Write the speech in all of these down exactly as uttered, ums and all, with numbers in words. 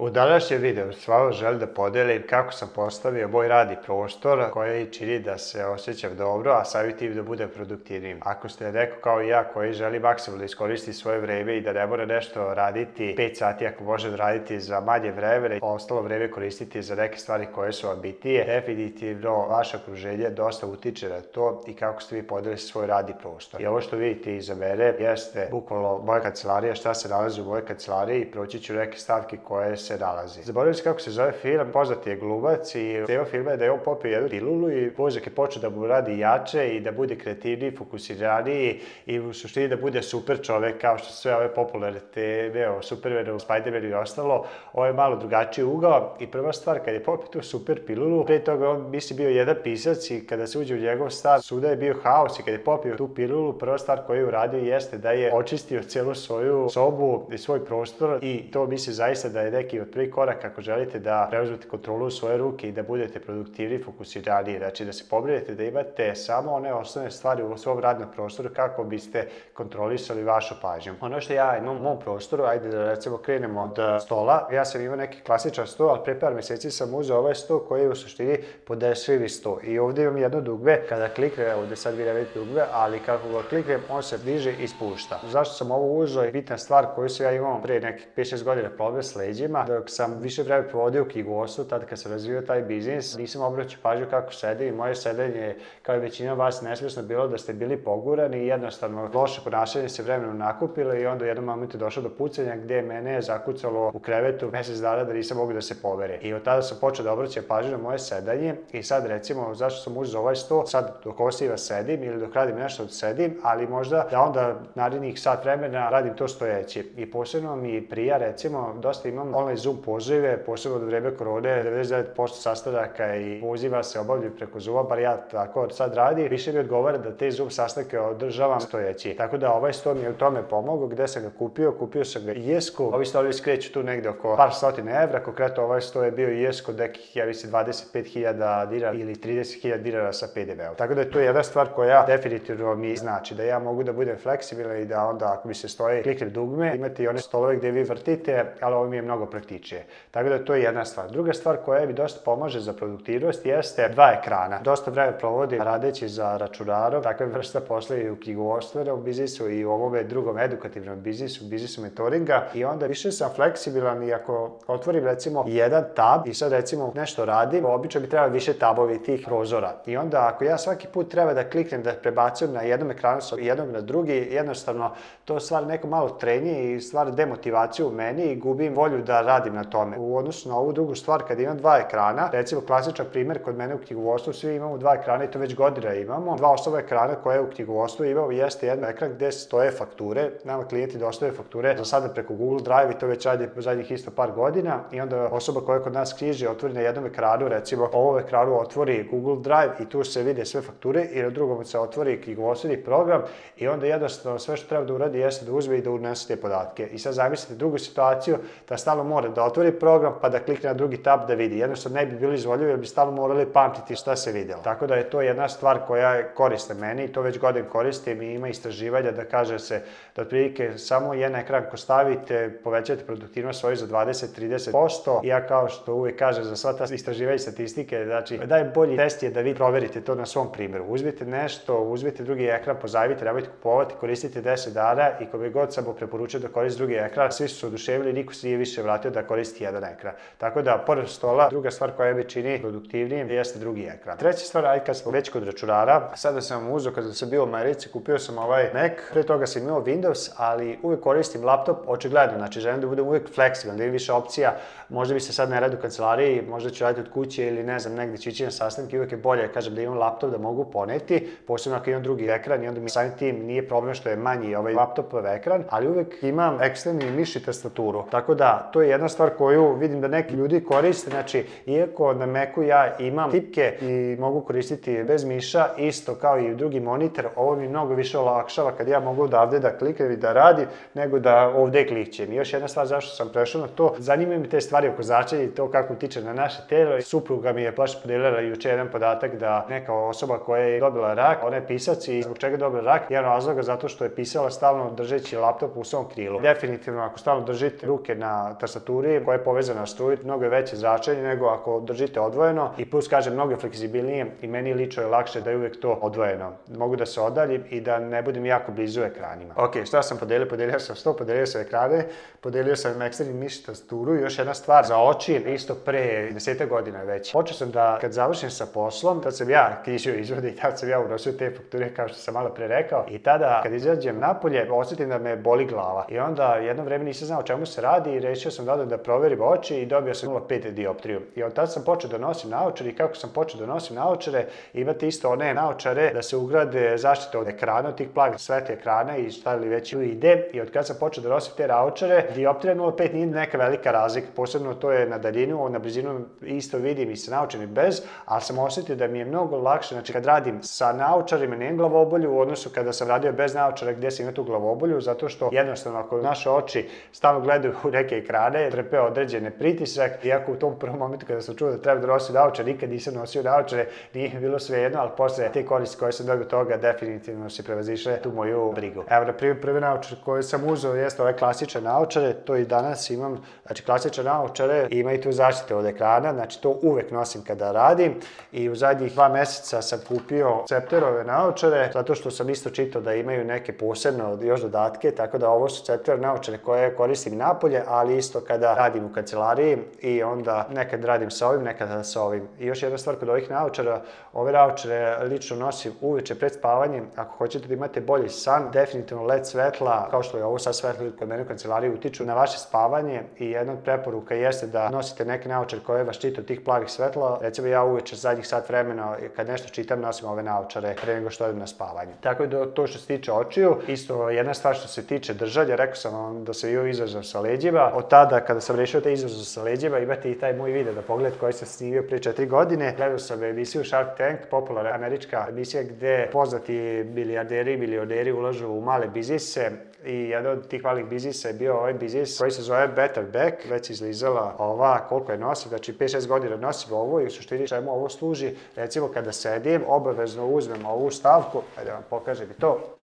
U današnjem videu s vama želim da podelim kako sam postavio moj radni prostor koji čini da se osjećam dobro, a samim tim da budem produktivnijim. Ako ste neko kao i ja koji želi maksimalno da iskoristi svoje vreme i da ne mora nešto raditi pet sati ako može da raditi za manje vremena i ostalo vreme koristiti za neke stvari koje su vam bitnije, definitivno vaše okruženje dosta utiče na to i kako ste vi podelili svoj radni prostor. I ovo što vidite iza mene jeste bukvalno moja kancelarija, šta se nalazi u mojoj kancelariji i proći ću neke stavke koje se nalazi. Zaboravim se kako se zove film, poznati je glumac i tema filma je da je on popio jednu pilulu i mozak je počeo da mu radi jače i da bude kreativniji, fokusiraniji i u suštini da bude super čovek kao što sve ove popularne teme o Supermanu, Spidermanu i ostalo. Ovo je malo drugačiji ugao i prva stvar kad je popio tu super pilulu, pre toga on misli bio jedan pisac i kada se uđe u njegov stan svuda je bio haos i kad je popio tu pilulu, prva stvar koju je uradio jeste da je očistio celu svoju sobu i svoj prostor i to misli zaista da je neki od prvi korak ako želite da preuzmete kontrolu u svoje ruke i da budete produktivni, fokusiraniji. Znači da se pobrinete da imate samo one osnovne stvari u svom radnom prostoru kako biste kontrolisali vašu pažnju. Ono što ja imam u mom prostoru, ajde da recimo krenemo od stola. Ja sam imao neki klasičan sto, ali pre par meseci sam uzeo ovaj sto koji je u suštini podešljivi sto. I ovdje imam jedno dugme, kada kliknem, ovdje sad vi ne vidite dugme, ali kako ga kliknem, on se diže i spušta. Zašto sam ovo uzeo? Bitna stvar koju sam ja imao pre nekih pet šest godina problem s leđima, dok sam više vreme provodio u knjigovodstvu, tada kad sam razvio taj biznis, nisam obraćao pažnju kako sedim i moje sedenje, kao i većina vas, nesvjesno bilo da ste bili pogurani i jednostavno loše ponašanje se vremenom nakupilo i onda u jednom momentu je došlo do pucanja gde mene je zakucalo u krevetu mesec dana da nisam mogu da se pomere. I od tada sam počeo da obraćam pažnju na moje sedanje i sad recimo zašto sam uzeo ovaj sto, sad dok osiva sedim ili dok radim nešto sedim, ali možda da onda narednih sat vremena radim to stojeći. I posebno mi prija recimo, dosta imam online Zoom pozive, posebno od vreme korone, devedeset devet posto sastanaka i poziva se obavljaju preko Zooma, bar ja tako sad radim. Više mi odgovara da te Zoom sastanke održavam stojeći. Tako da ovaj sto mi je u tome pomogao. Gde sam ga kupio? Kupio sam ga i jesku. Ovi stolovi skreću tu negde oko par stotina evra. Konkretno ovaj sto je bio i jesku nekih, ja mislim, dvadeset pet hiljada dinara ili trideset hiljada dinara sa pe de veom. Tako da je to jedna stvar koja definitivno mi znači da ja mogu da budem fleksibilan i da onda ako mi se stoji kliknem dugme, imate i one stolove gde vi vrtite, ali ovo mi je mnogo praktičnije. Tako da to je jedna stvar. Druga stvar koja mi dosta pomaže za produktivnost jeste dva ekrana. Dosta vreme provodim radeći za računarom, takve vrsta posla i u knjigovodstvenom biznisu i u ovome drugom edukativnom biznisu, biznisu mentoringa i onda više sam fleksibilan i ako otvorim recimo jedan tab i sad recimo nešto radim, obično mi treba više tabovi tih prozora i onda ako ja svaki put treba da kliknem da prebacujem na jednom ekranu sa jednog na drugi, jednostavno to stvara neko malo trenje i stvara demotivaciju u meni i gubim volju da radim na tome. U odnosu na ovu drugu stvar, kad imam dva ekrana, recimo klasičan primer kod mene u knjigovodstvu, svi imamo dva ekrana i to već godina imamo. Dva osnovna ekrana koje u knjigovodstvu imamo jeste jedan ekran gde stoje fakture, nama klijenti dostave fakture za sada preko Google Drive i to već radi zadnjih isto par godina i onda osoba koja kod nas knjiži otvori na jednom ekranu, recimo ovom ekranu otvori Google Drive i tu se vide sve fakture i na drugom se otvori knjigovodstveni program i onda jednostavno sve što treba da uradi jeste da uzme i da unese te podatke. I sad zamislite drugu situaciju da stalno mora da otvori program pa da klikne na drugi tab da vidi. Jednostavno ne bi bili izvoljivi jer bi stalno morali pamtiti šta se videlo. Tako da je to jedna stvar koja je koriste meni i to već godin koristim i ima istraživanja da kaže se da otprilike samo jedan ekran ko stavite povećate produktivnost svoju za dvadeset do trideset posto. I ja kao što uvijek kažem za sva ta istraživanja i statistike, znači najbolji test je da vi proverite to na svom primjeru. Uzmite nešto, uzmite drugi ekran, pozajmite, nemojte kupovati, koristite deset dana i kome god sam mu preporučio da koristi drugi ekran, svi su se oduševili, niko se nije više vratio da koristi jedan ekran. Tako da, pored stola, druga stvar koja me čini produktivnijim jeste drugi ekran. Treća stvar, ajde kad smo već kod računara, sada sam uzeo kada sam bio u Americi, kupio sam ovaj Mac, pre toga sam imao Windows, ali uvijek koristim laptop, očigledno, znači želim da budem uvijek fleksibilan, da imam više opcija, možda bi se sad ne radi u kancelariji, možda ću raditi od kuće ili ne znam, negdje ću ići na sastanke, uvijek je bolje, kažem, da imam laptop da mogu poneti, posebno ako imam drugi ekran i onda mi samim tim nije problem što je manji ovaj laptopov ekran, ali uvijek imam eksterni miš i tastaturu. Tako da, to je jedna stvar koju vidim da neki ljudi koriste, znači, iako na Macu ja imam tipke i mogu koristiti bez miša, isto kao i drugi monitor, ovo mi mnogo više olakšava kad ja mogu odavde da kliknem i da radim, nego da ovde klikćem. I još jedna stvar zašto sam prešao na to, zanimaju mi te stvari oko zračenja i to kako utiče na naše telo. Supruga mi je baš podelila juče jedan podatak da neka osoba koja je dobila rak, ona je pisac i zbog čega je dobila rak, jedan razloga zato što je pisala stalno držeći laptop u svom krilu. Definitivno ako stalno držite ruke na tastaturi temperaturi koja je povezana na struju, mnogo je veće zračenje nego ako držite odvojeno i plus, kažem, mnogo je fleksibilnije i meni lično je lakše da je uvek to odvojeno. Mogu da se odaljim i da ne budem jako blizu ekranima. Ok, šta sam podelio? Podelio sam sto, podelio sam ekrane, podelio sam eksterni miš tasturu i još jedna stvar za oči, isto pre deseta godina već. Počeo sam da, kad završim sa poslom, tad sam ja knjižio izvode i tad sam ja unosio te fakture, kao što sam malo pre rekao, i tada kad izađem napolje osjetim da me boli glava i onda jedno vreme nisam znao o čemu se radi i rešio sam da odem da proverim oči i dobio sam nula zarez pet dioptriju. I od tada sam počeo da nosim naočare i kako sam počeo da nosim naočare, imate isto one naočare da se ugrade zaštite od ekrana, od tih plavih svetli ekrana i šta li već ide. I od kada sam počeo da nosim te naočare, dioptrija nula zarez pet nije neka velika razlika, posebno to je na daljinu, na blizinu isto vidim i sa naočarima bez, ali sam osetio da mi je mnogo lakše, znači kad radim sa naočarima nemam glavobolju u odnosu kada sam radio bez naočara gde sam imao tu glavobolju, zato što jednostavno ako naše oči stalno gledaju u neke ekrane, trpe određene pritisak, iako u tom prvom momentu kada sam čuo da treba da nosim naočare, nikad nisam nosio naočare, nije bilo svejedno, ali posle te koristi koje sam dobio toga definitivno se prevazišle tu moju brigu. Evo, na primjer, prve naočare koje sam uzeo jeste ove klasične naočare, to i danas imam, znači klasične naočare i imaju tu zaštite od ekrana, znači to uvek nosim kada radim i u zadnjih dva meseca sam kupio Cepterove naočare, zato što sam isto čitao da imaju neke posebne još dodatke, tako da ovo su Cepterove naočare koje koristim napolje, ali isto kada radim u kancelariji i onda nekad radim sa ovim, nekad sa ovim. I još jedna stvar kod ovih naočara, ove naočare lično nosim uveče pred spavanjem, ako hoćete da imate bolji san, definitivno led svetla, kao što je ovo sad svetlo kod mene u kancelariji, utiču na vaše spavanje i jedna od preporuka jeste da nosite neke naočare koje vas štite od tih plavih svetla. Recimo ja uveče zadnjih sat vremena kad nešto čitam nosim ove naočare pre nego što odem na spavanje. Tako da to što se tiče očiju, isto jedna stvar što se tiče držanja, rekao sam vam da sam bio izazov sa leđima. Od tada kada sam rešio taj izazov sa leđima, imate i taj moj video da pogledate koji sam snimio pre četiri godine. Gledao sam emisiju Shark Tank, popularna američka emisija gde poznati milijarderi i milioneri ulažu u male biznise i jedan od tih malih biznisa je bio ovaj biznis koji se zove Better Back. Već izlizala ova koliko je nosim, znači pet šest godina nosim ovo i u suštini čemu ovo služi. Recimo kada sedim, obavezno uzmem ovu stavku, ajde vam pokažem i to,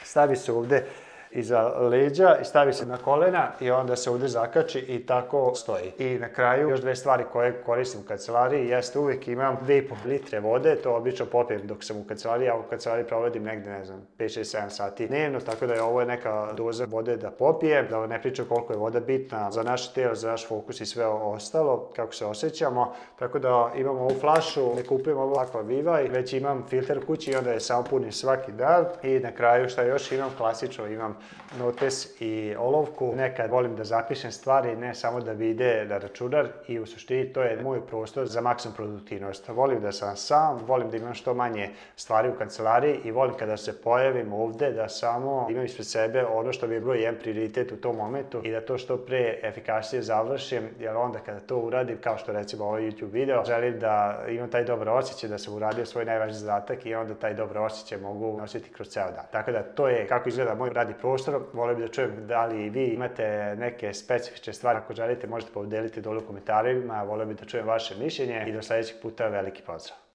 stavi se ovde iza leđa i stavi se na kolena i onda se ovde zakači i tako stoji. I na kraju još dve stvari koje koristim u kancelariji jeste uvijek imam dve i po litre vode, to obično popijem dok sam u kancelariji, ja u kancelariji provodim negde, ne znam, pet šest sedam sati dnevno, tako da je ovo neka doza vode da popijem, da ne pričam koliko je voda bitna za naše telo, za naš fokus i sve ostalo, kako se osjećamo, tako da imam ovu flašu, ne kupujem ovo Aqua Viva i već imam filter kući i onda je samo punim svaki dan i na kraju šta još imam, klasično imam notes i olovku. Nekad volim da zapišem stvari, ne samo da bi ide na računar i u suštini to je moj prostor za maksimum produktivnost. Volim da sam sam, volim da imam što manje stvari u kancelariji i volim kada se pojavim ovde da samo imam ispred sebe ono što bi je bilo jedan prioritet u tom momentu i da to što pre efikasnije završim, jer onda kada to uradim, kao što recimo ovaj YouTube video, želim da imam taj dobar osjećaj da sam uradio svoj najvažniji zadatak i onda taj dobar osjećaj mogu nositi kroz ceo dan. Tako da to je kako izgleda moj radni prostor. Volio bih da čujem da li i vi imate neke specifične stvari. Ako želite možete podeliti dole u komentarima, volio bih da čujem vaše mišljenje i do sledećeg puta veliki pozdrav.